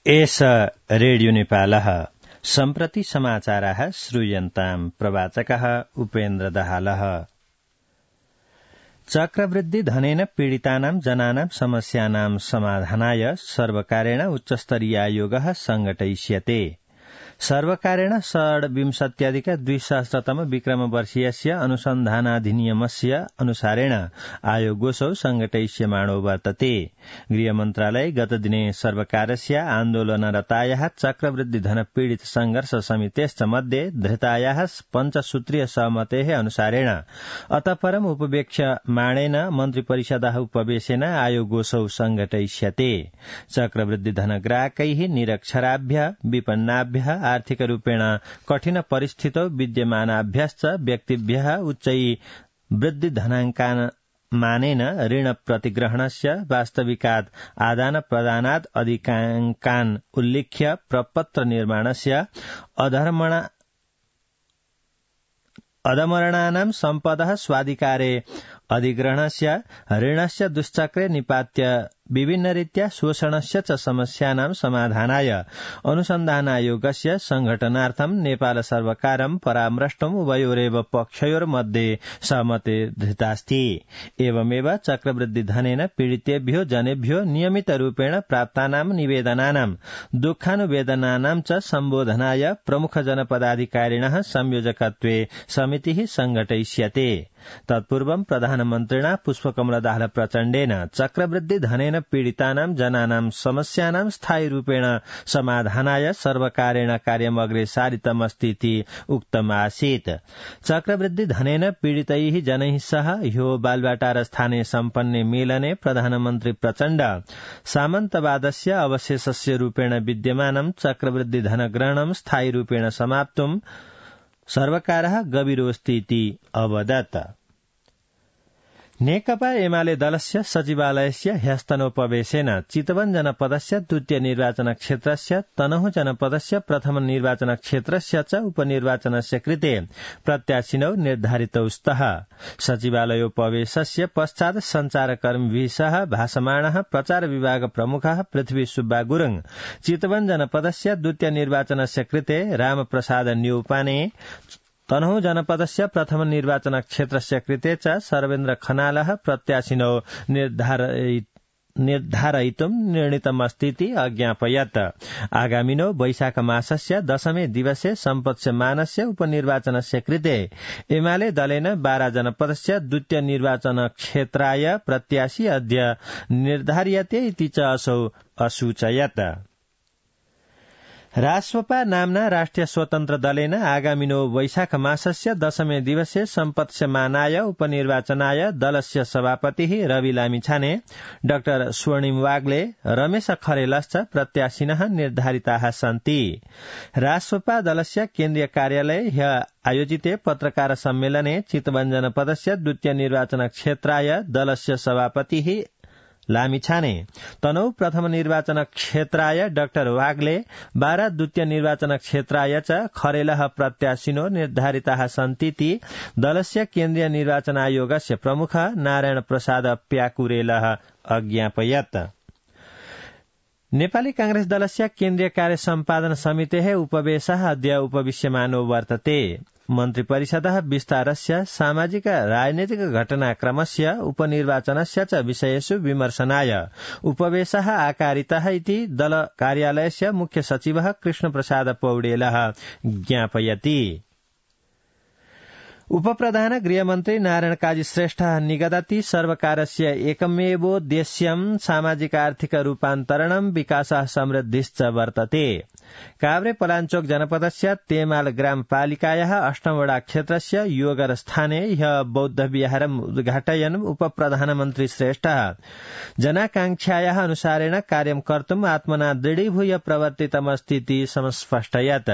एष रेडियो नेपालः सम्प्रति समाचाराः श्रूयन्ताम् प्रवाचकः उपेन्द्र दाहालः। चक्रवृद्धि धनेन पीडितानां जनानां समस्यानां समाधानाय सर्वकारेण उच्चस्तरीयायोगः संघटयिष्यते। सर्वकारेण 26-2000 विक्रमवर्षीयस्य अनुसन्धानाधिनियमस्य अनुसारेण आयोगोऽसौ संघटयिष्यमाणो वर्तते। गृहमन्त्रालय गतदिने सर्वकारस्य आन्दोलनरतायाः चक्रवृद्धिधन पीडित संघर्ष समितेश्च मध्ये धृतायाः पञ्चसूत्रीय सहमतेः अनुसारेण अतः परम् उपवेक्ष्यमाणेन मन्त्रिपरिषदः उपवेशेन आयोगोऽसौ संघटयिष्यते। चक्रवृद्धिधनग्राहकैः निरक्षराभ्यः विपन्नाभ्यः आर्थिकरूपेण कठिन परिस्थितौ विद्यमानाभ्यश्च व्यक्तिभ्यः उच्चै वृद्धिधनाङ्कामानेन ऋण प्रतिग्रहणस्य वास्तविकात् आदान प्रदानात् अधिकाङ्कान् उल्लिख्य प्रपत्र निर्माणस्य अधमरणानां सम्पदः स्वाधिकारे अधिग्रहणस्य ऋणस्य दुश्चक्रे निपात्य विभिन्नरीत्या शोषणस्य च समस्यानां समाधानाय अनुसन्धानायोगस्य संघटनार्थं नेपाल सर्वकारं परामृष्टुम् उभयोरेव पक्षयोर्मध्ये सहमति धृतास्ति। एवमेव चक्रवृद्धिधनेन पीडितेभ्यो जनेभ्यो नियमितरूपेण प्राप्तानां निवेदनानां दुःखानुवेदनानां च सम्बोधनाय प्रमुख जनपदाधिकारिणः संयोजकत्वे समितिः संघटयिष्यते। तत्पूर्वं प्रधानमन्त्रिणा पुष्पकमलदाहाल प्रचण्डेन चक्रवृद्धिधनेन पीडितानां जनानां समस्यानां स्थायीरूपेण समाधानाय सर्वकारेण कार्यम् अग्रे सारितमस्तीति उक्तमासीत्। चक्रवृद्धिधनेन पीडितैः जनैः सह ह्यो बालवाटार स्थाने सम्पन्ने मेलने प्रधानमन्त्री प्रचण्ड सामन्तवादस्य अवशेषस्य रूपेण विद्यमानं चक्रवृद्धिधनग्रहणं स्थायीरूपेण समाप्तुं सर्वकारः गभीरोऽस्तीति अवदत्। नेकपा एमाले दलस्य सचिवालयस्य ह्यस्तनोपवेशेन चितवन जनपदस्य द्वितीय निर्वाचन क्षेत्रस्य तनहुँ जनपदस्य प्रथम निर्वाचन क्षेत्रस्य च उपनिर्वाचनस्य कृते प्रत्याशिनौ निर्धारितौ स्तः। सचिवालयोपवेशस्य पश्चात् सञ्चारकर्मीभिः सह भाषमाणः प्रचार विभाग प्रमुखः पृथ्वी सुब्बा गुरुङ चितवन जनपदस्य द्वितीय निर्वाचनस्य कृते रामप्रसाद न्यौपाने तनहुँ जनपदस्य प्रथम निर्वाचन क्षेत्रस्य कृते च सर्वेन्द्र खनालः प्रत्याशिनौ निर्धारयितुं निर्णीतमस्तीति अज्ञापयत्। आगामिनो वैशाख मासस्य 10 दिवसे सम्पत्स्यमानस्य उपनिर्वाचनस्य कृते एमाले दलेन 12 जनपदस्य द्वितीय निर्वाचन क्षेत्राय प्रत्याशी अद्य निर्धार्यते इति च असौ असूचयत्। राष्ट्रपा नाम्ना राष्ट्रिय स्वतन्त्र दलेन आगामिनो वैशाख मासस्य 10 दिवसे सम्पत्स्यमानाय उपनिर्वाचनाय दलस्य सभापतिः रवि लामिछाने डाक्टर स्वर्णिम वाग्ले रमेश खरेलश्च प्रत्याशिनः निर्धारिताः सन्ति। राष्ट्रपा दलस्य केन्द्रीय कार्यालये ह्य आयोजिते पत्रकार सम्मेलने चितवन जनपदस्य द्वितीय निर्वाचन क्षेत्राय दलस्य सभापतिः लामिछाने तनौ प्रथम निर्वाचन क्षेत्राय डाक्टर वाग्ले 12 द्वितीय निर्वाचन क्षेत्राय च खरेलः प्रत्याशिनो निर्धारिताः सन्तीति दलस्य केन्द्रीय निर्वाचन आयोगस्य प्रमुख नारायण प्रसाद प्याकुरेलः अज्ञापयत्। नेपाली कांग्रेस दलस्य केन्द्रीय कार्य सम्पादन समितेः उपवेशः अद्य उपविश्यमानो वर्तते। मन्त्रिपरिषदः विस्तारस्य सामाजिक राजनैतिक घटनाक्रमस्य उपनिर्वाचनस्य च विषयेषु विमर्शनाय उपवेशः आकारितः इति दल कार्यालयस्य मुख्य सचिवः कृष्णप्रसाद पौडेलः ज्ञापयति। उपप्रधान गृहमन्त्री नारायण काजी श्रेष्ठ निगदति सर्वकारस्य एकमेवोद्देश्यं सामाजिक आर्थिक रूपान्तरणं विकासः समृद्धिश्च वर्तते। काभ्रे पलाञ्चोक जनपदस्य तेमाल ग्रामपालिकायाः 8 वडा क्षेत्रस्य योगर स्थाने ह्य बौद्ध विहारम् उद्घाटयन् उपप्रधानमन्त्री श्रेष्ठः जनाकांक्षायाः अनुसारेण कार्यं कर्तुम् आत्मना दृढीभूय प्रवर्तितमस्तीति संस्पष्टयत्।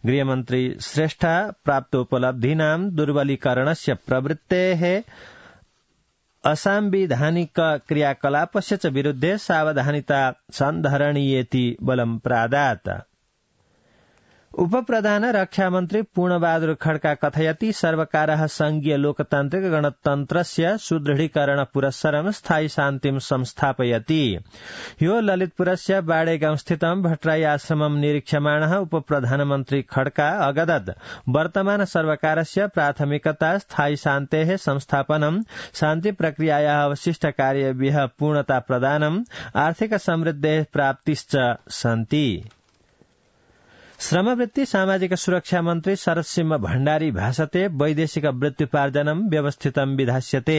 गृहमन्त्री श्रेष्ठः प्राप्तोपलब्धीनां दुर्बलीकरणस्य प्रवृत्तेः असंविधानिक क्रियाकलापस्य च विरुद्धे सावधानिता सन्धरणीयेति बलं प्रादात्। उपप्रधान रक्षा मन्त्री पूर्णबहादुर खड्का कथयति सर्वकारः संघीय लोकतान्त्रिक गणतन्त्रस्य सुदृढीकरण पुरस्सरं स्थायी शान्तिं संस्थापयति। ह्यो ललितपुरस्य बाडेगाउँस्थितं भट्टराई आश्रमं निरीक्ष्यमाणः उपप्रधानमन्त्री खड्का अगदत् वर्तमान सर्वकारस्य प्राथमिकता स्थायी शान्तेः संस्थापनं, शान्ति प्रक्रियायाः अवशिष्ट कार्येभ्यः पूर्णता प्रदानम्, आर्थिक समृद्धेः प्राप्तिश्च सन्ति। श्रमवृत्ति सामाजिक सुरक्षा मन्त्री शरदसिंह भण्डारी भाषते वैदेशिक वृत्त्युपार्जनं व्यवस्थितं विधास्यते।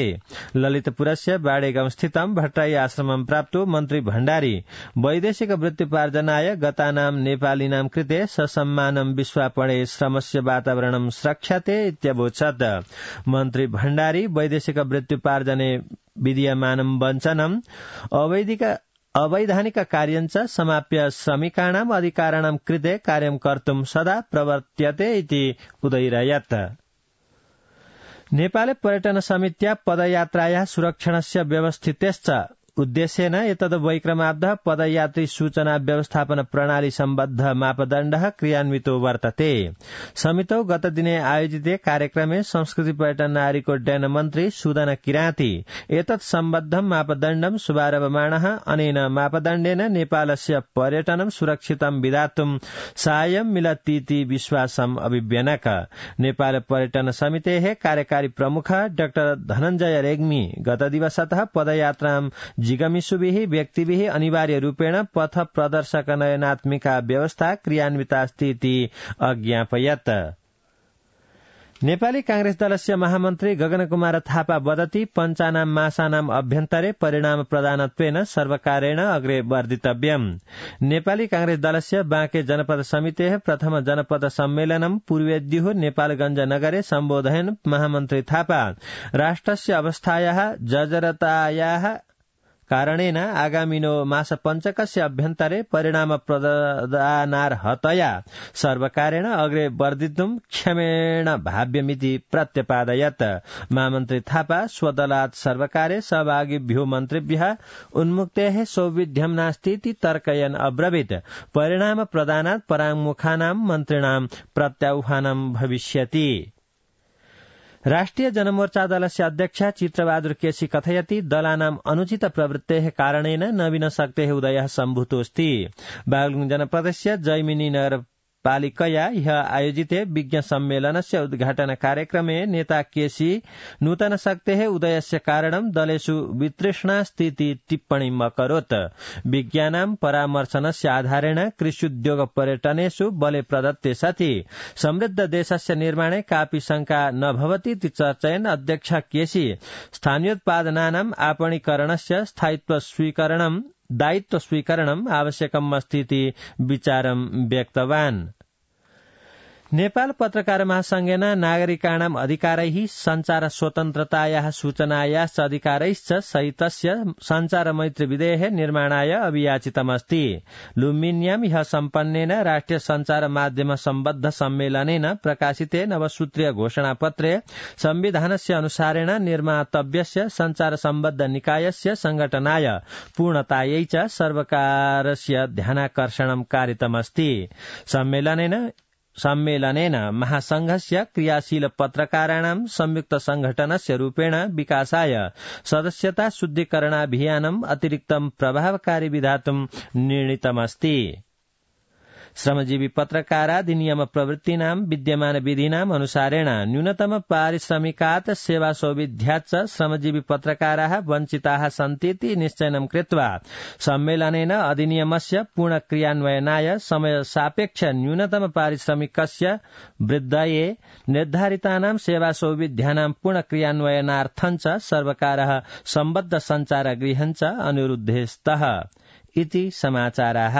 ललितपुरस्य बाडेगाउँस्थितं भट्टराई आश्रमं प्राप्तो मन्त्री भण्डारी वैदेशिक वृत्त्युपार्जनाय गतानां नेपालिनां कृते ससम्मानं विश्वापणे श्रमस्य वातावरणं स्रक्ष्यते इत्यवोचत्। मन्त्री भण्डारी वैदेशिक वृत्त्युपार्जने विद्यमानं वञ्चनम् अवैधानिक कार्यञ्च समाप्य श्रमिकाणाम् अधिकाराणां कृते कार्यं कर्तुं सदा प्रवर्त्यते इति उदयिरयत्। नेपाल पर्यटन समित्या पदयात्रायाः सुरक्षणस्य व्यवस्थितेश्च उद्देश्येन एतद्वैक्रमाब्धः पदयात्री सूचना व्यवस्थापन प्रणाली सम्बद्ध मापदण्डः क्रियान्वितो वर्तते। समितौ गतदिने आयोजिते कार्यक्रमे संस्कृति पर्यटन नागरिक उड्डयन मन्त्री सुदन किराँती एतत् सम्बद्धं मापदण्डं शुभारभमाणः। अनेन मापदण्डेन नेपालस्य पर्यटनं सुरक्षितं विधातुं साहाय्यं मिलतीति विश्वासम् अभिव्यनक। नेपाल पर्यटन समितेः कार्यकारी प्रमुख डाक्टर धनञ्जय रेग्मी गतदिवसतः पदयात्रां जिगमिषुभिः व्यक्तिभिः अनिवार्य रूपेण पथ प्रदर्शक नयनात्मिका व्यवस्था क्रियान्वितास्ति इति अज्ञापयत्। नेपाली कांग्रेस दलस्य महामन्त्री गगनकुमार थापा वदति पञ्चानां मासानाम् अभ्यन्तरे परिणाम प्रदानत्वेन सर्वकारेण अग्रे वर्धितव्यम्। नेपाली कांग्रेस दलस्य बाँके जनपद समितेः प्रथम जनपद सम्मेलनं पूर्वेद्युः नेपालगञ्ज नगरे सम्बोधयन् महामन्त्री थापा राष्ट्रस्य अवस्थायाः जर्जरतायाः कारणेन आगामिनो मासपञ्चकस्य अभ्यन्तरे परिणाम प्रदानार्हतया सर्वकारेण अग्रे वर्धितुं क्षमेण भाव्यमिति प्रत्यपादयत्। महामन्त्री थापा स्वदलात् सर्वकारे सहभागिभ्यो मन्त्रिभ्यः उन्मुक्तेः सौविध्यं नास्तीति तर्कयन् अब्रवीत्। परिणाम प्रदानात् पराङ्मुखानां मन्त्रिणां प्रत्याह्वानं भविष्यति। राष्ट्रिय जनमोर्चा दलस्य अध्यक्ष चित्रबहादुर केसी कथयति दलानाम् अनुचित प्रवृत्तेः कारणेन नवीन शक्तेः उदयः सम्भूतोऽस्ति। बागलुङ जनपदस्य जैमिनी नगरपालिकया ह्यः आयोजिते विज्ञ सम्मेलनस्य उद्घाटन कार्यक्रमे नेता केसी नूतन शक्तेः उदयस्य कारणं दलेषु वितृष्णास्तीति टिप्पणीम् अकरोत्। विज्ञानां परामर्शनस्य आधारेण कृष्युद्योग पर्यटनेषु बले प्रदत्ते सति समृद्ध देशस्य निर्माणे कापि शंका न भवति इति चर्चयन् अध्यक्ष केसी स्थानीयोत्पादनानाम् आपणीकरणस्य दायित्व स्वीकरणम् आवश्यकम् अस्ति इति विचारं व्यक्तवान्। नेपाल पत्रकार महासंघेन नागरिकाणाम् अधिकारैः संचार स्वतन्त्रतायाः सूचनायाश्च अधिकारैश्च सहितस्य संचार मैत्री विधेयः निर्माणाय अभियाचितमस्ति। लुम्बिन्यां ह्यः सम्पन्नेन राष्ट्रिय संचार माध्यम सम्बद्ध सम्मेलनेन प्रकाशिते नवसूत्रीय घोषणापत्रे संविधानस्य अनुसारेण निर्मातव्यस्य संचार सम्बद्ध निकायस्य संघटनाय पूर्णतायै च सर्वकारस्य ध्यानाकर्षणं कारितमस्ति। सम्मेलनेन महासंघस्य क्रियाशील पत्रकाराणां संयुक्त संघटनस्य रूपेण विकासाय सदस्यता शुद्धीकरणाभियानम् अतिरिक्तं प्रभावकारी विधातुं निर्णीतमस्ति। श्रमजीवी पत्रकाराधिनियम प्रवृत्तीनां विद्यमान विधीनाम् अनुसारेण न्यूनतम पारिश्रमिकात् सेवा सौविध्याच्च श्रमजीवी पत्रकाराः वञ्चिताः सन्तीति निश्चयनं कृत्वा सम्मेलनेन अधिनियमस्य पूर्ण क्रियान्वयनाय समय सापेक्ष न्यूनतम पारिश्रमिकस्य वृद्धये निर्धारितानां सेवा सौविध्यानां पूर्ण क्रियान्वयनार्थञ्च सर्वकारः सम्बद्ध संचार गृहञ्च अनुरुद्धे स्तः इति समाचाराः।